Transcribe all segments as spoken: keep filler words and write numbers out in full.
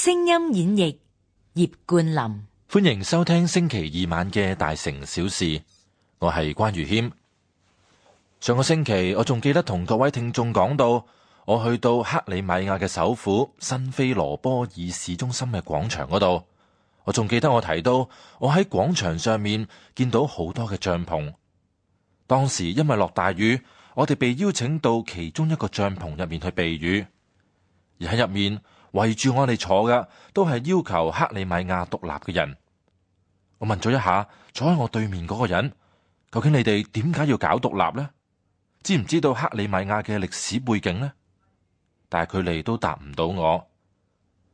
聲音演繹葉冠霖。歡迎收聽星期二晚嘅大城小事，我係關裕謙。上個星期我仲記得同各位聽眾講到，我去到克里米亞嘅首府新菲羅波爾市中心嘅廣場嗰度，我仲記得我提到我喺廣場上面見到好多嘅帳篷。當時因為落大雨，我哋被邀請到其中一個帳篷入面去避雨，而喺入面圍住我哋坐嘅都係要求克里米亞獨立嘅人。我問咗一下坐喺我對面嗰個人，究竟你哋點解要搞獨立呢？知唔知道克里米亞嘅歷史背景呢？但係佢哋都答唔到我。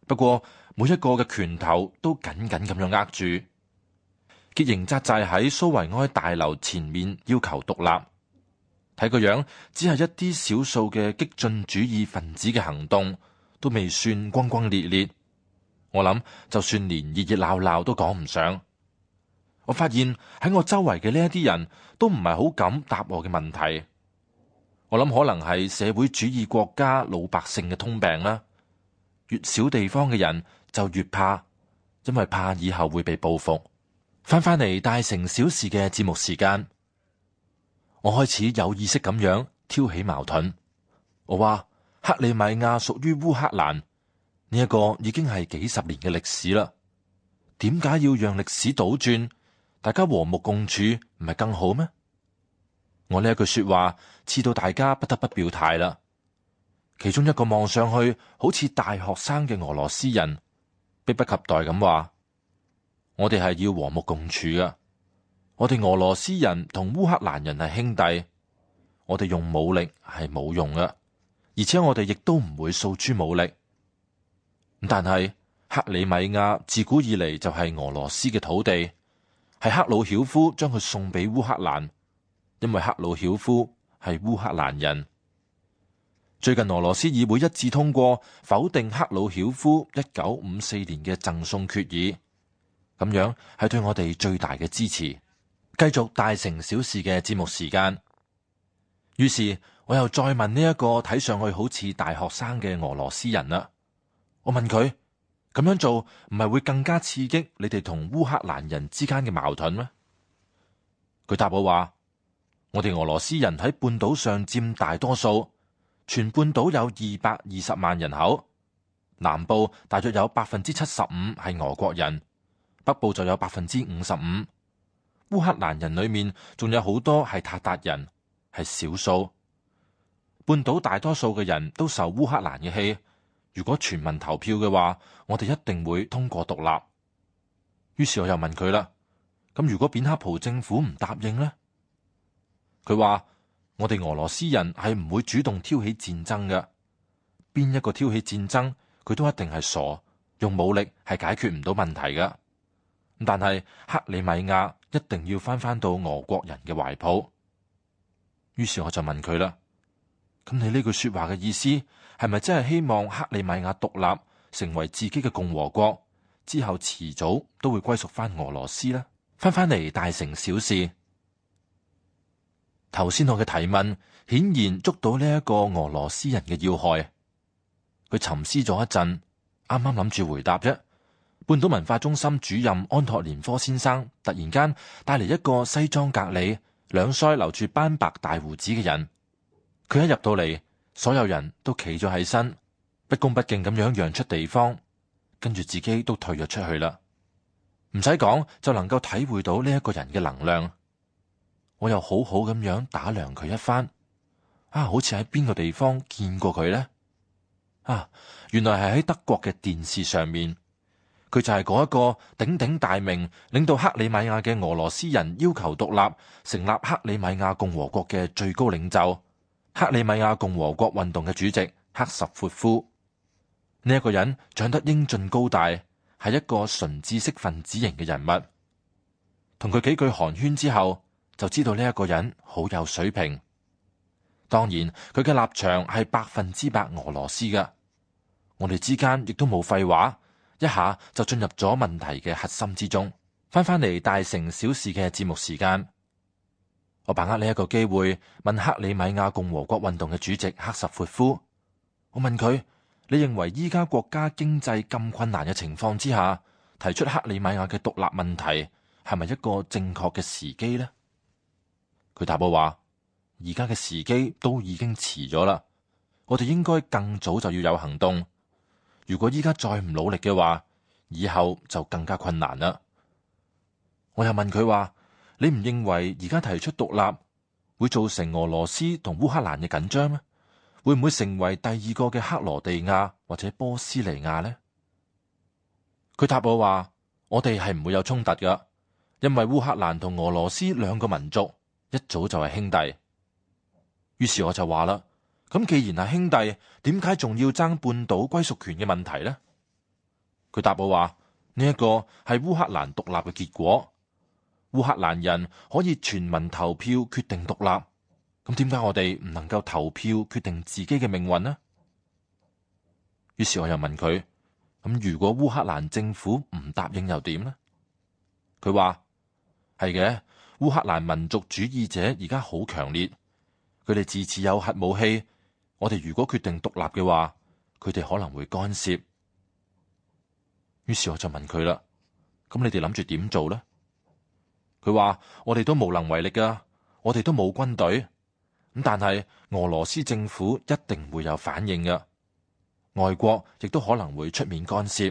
不過每一個嘅拳頭都緊緊咁樣握住，結營紮寨喺蘇維埃大樓前面要求獨立。睇個樣，只係一啲少數嘅激進主義分子嘅行動，都未算轟轟烈烈。我諗就算連熱熱鬧鬧都講唔上。我發現喺我周圍嘅呢一啲人都唔係好敢答我嘅問題。我諗可能係社會主義國家老百姓嘅通病啦。越小地方嘅人就越怕，因為怕以後會被報復。翻返嚟大城小事嘅節目時間，我開始有意識咁樣挑起矛盾。我話克里米亞屬於烏克蘭，呢一個已經係幾十年嘅歷史啦。點解要讓歷史倒轉？大家和睦共處唔係更好咩？我呢一句說話刺到大家不得不表態啦。其中一個望上去好似大學生嘅俄羅斯人，迫不及待咁話：我哋係要和睦共處噶。我哋俄羅斯人同烏克蘭人係兄弟，我哋用武力係冇用噶，而且我哋亦都唔會訴諸武力。但係克里米亞自古以嚟就係俄羅斯嘅土地，係克魯曉夫將佢送俾烏克蘭，因為克魯曉夫係烏克蘭人。最近俄羅斯議會一致通過否定克魯曉夫一九五四年嘅贈送決議，咁樣係對我哋最大嘅支持。繼續大城小事嘅節目時間，於是我又再問呢一個睇上去好似大學生嘅俄羅斯人啦。我問佢，咁樣做唔係會更加刺激你哋同烏克蘭人之間嘅矛盾咩？佢答我話：我哋俄羅斯人喺半島上佔大多數，全半島有二百二十萬人口，南部大約有百分之七十五係俄國人，北部就有百分之五十五。烏克蘭人裏面仲有好多係塔達人，係少數。半島大多數嘅人都受烏克蘭嘅氣，如果全民投票嘅話，我哋一定會通過獨立。於是我又問佢啦，咁如果扁克蒲政府唔答應呢？佢話我哋俄羅斯人係唔會主動挑起戰爭嘅，邊一個挑起戰爭，佢都一定係傻，用武力係解決唔到問題嘅。但係克里米亞一定要翻返到俄國人嘅懷抱。於是我就問佢啦，咁你呢句說話嘅意思係咪真係希望克里米亞獨立成為自己嘅共和國，之後遲早都會歸屬翻俄羅斯呢？翻返嚟大城小事，頭先我嘅提問顯然捉到呢一個俄羅斯人嘅要害。佢沉思咗一陣，啱啱諗住回答啫。半島文化中心主任安托連科先生突然間帶嚟一個西裝革履、兩腮留住斑白大鬍子嘅人。佢一入到嚟，所有人都企咗起身，不恭不敬咁樣讓出地方，跟住自己都退咗出去啦。唔使講就能夠體會到呢一個人嘅能量。我又好好咁樣打量佢一番，啊，好似喺邊個地方見過佢呢？啊，原來係喺德國嘅電視上面。佢就係嗰一個鼎鼎大名，領導克里米亞嘅俄羅斯人要求獨立，成立克里米亞共和國嘅最高領袖，克里米亞共和國運動嘅主席克什闊夫。呢、這、一個人長得英俊高大，係一個純知識分子型嘅人物。同佢幾句寒暄之後，就知道呢一個人好有水平。當然，佢嘅立場係百分之百俄羅斯㗎。我哋之間亦都冇廢話。一下就進入咗問題嘅核心之中。翻返嚟大城小事嘅節目時間，我把握呢一個機會問克里米亞共和國運動嘅主席克什闊夫，我問佢：你認為依家國家經濟咁困難嘅情況之下，提出克里米亞嘅獨立問題係咪一個正確嘅時機呢？佢答我話：而家嘅時機都已經遲咗啦，我哋應該更早就要有行動。如果依家再唔努力嘅話，以後就更加困難啦。我又問佢話：你唔認為而家提出獨立會造成俄羅斯同烏克蘭嘅緊張咩？會唔會成為第二個嘅克羅地亞或者波斯尼亞呢？佢答我話：我哋係唔會有衝突噶，因為烏克蘭同俄羅斯兩個民族一早就係兄弟。於是我就話啦：咁既然係兄弟，點解仲要爭半島歸屬權嘅問題呢？佢答我話：呢一個係烏克蘭獨立嘅結果，烏克蘭人可以全民投票決定獨立。咁點解我哋唔能夠投票決定自己嘅命運呢？於是我又問佢：咁如果烏克蘭政府唔答應又點呢？佢話：係嘅，烏克蘭民族主義者而家好強烈，佢哋自持有核武器。我哋如果決定獨立嘅話，佢哋可能會干涉。於是我就問佢啦：咁你哋諗住點做呢？佢話：我哋都無能為力噶，我哋都冇軍隊。咁但係俄羅斯政府一定會有反應嘅，外國亦都可能會出面干涉。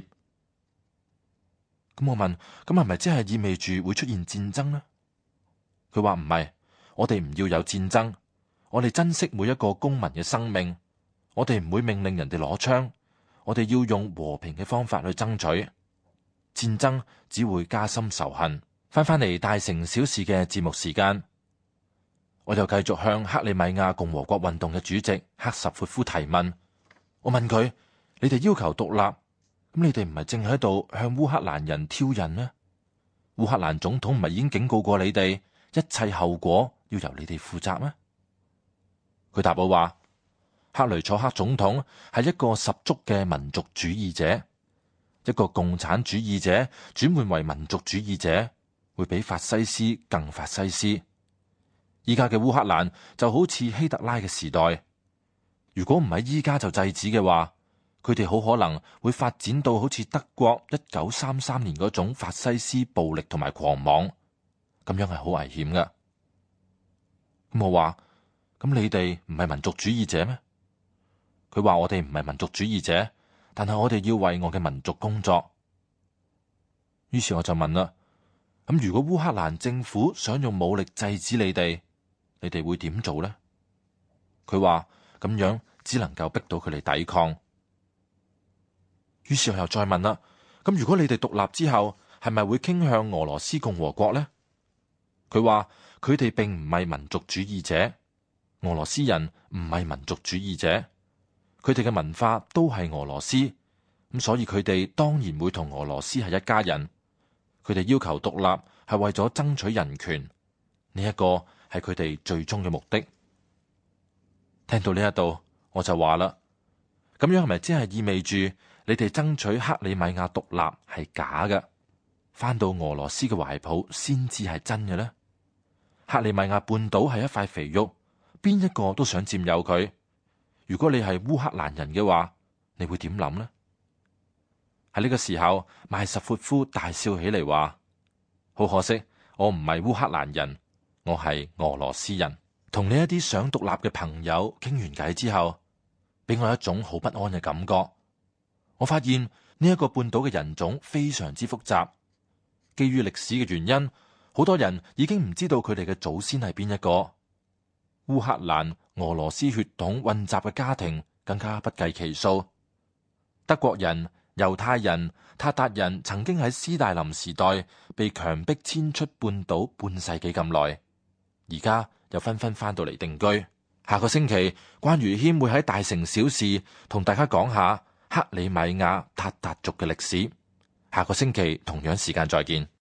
咁我問：咁係咪即係意味住會出現戰爭呢？佢話唔係，我哋唔要有戰爭，我哋珍惜每一個公民嘅生命，我哋唔會命令人哋攞槍，我哋要用和平嘅方法去爭取，戰爭只會加深仇恨。翻返嚟大城小事嘅節目時間。我又繼續向克里米亞共和國運動嘅主席克什闊夫提問。我問佢：你哋要求獨立，咁你哋唔係正喺度向烏克蘭人挑釁咩？烏克蘭總統唔係已經警告過你哋，一切後果要由你哋負責咩？佢答我話：克雷楚克總統係一個十足嘅民族主義者，一個共產主義者轉換為民族主義者，會比法西斯更法西斯。依家嘅烏克蘭就好似希特拉嘅時代，如果唔係依家就制止嘅話，佢哋好可能會發展到好似德國一九三三年嗰種法西斯暴力同埋狂妄，咁樣係好危險㗎。咁我話：咁你哋唔係民族主義者咩？佢話：我哋唔係民族主義者，但係我哋要為我嘅民族工作。於是我就問啦：咁如果烏克蘭政府想用武力制止你哋，你哋會點做呢？佢話：咁樣只能夠逼到佢哋抵抗。於是我又再問啦：咁如果你哋獨立之後，係咪會傾向俄羅斯共和國呢？佢話：佢哋並唔係民族主義者，俄羅斯人唔係民族主義者，佢哋嘅文化都係俄羅斯，咁所以佢哋當然會同俄羅斯係一家人。佢哋要求獨立係為咗爭取人權，呢一個係佢哋最終嘅目的。聽到呢一度，我就話啦：咁樣係咪即係意味住你哋爭取克里米亞獨立係假嘅，翻到俄羅斯嘅懷抱先至係真嘅呢？克里米亞半島係一塊肥肉，邊一個都想佔有佢。如果你係烏克蘭人嘅話，你會點諗呢？喺呢個時候，邁什闊夫大笑起嚟話：好可惜，我唔係烏克蘭人，我係俄羅斯人。同呢一啲想獨立嘅朋友傾完偈之後，俾我一種好不安嘅感覺。我發現呢一個半島嘅人種非常之複雜，基於歷史嘅原因，好多人已經唔知道佢哋嘅祖先係邊一個。烏克蘭、俄羅斯血統混雜嘅家庭更加不計其數。德國人、猶太人、塔達人曾經喺斯大林時代被強迫遷出半島半世紀咁耐，而家又紛紛翻到嚟定居。下個星期，關於謙會喺大城小事同大家講下克里米亞塔達族嘅歷史。下個星期同樣時間再見。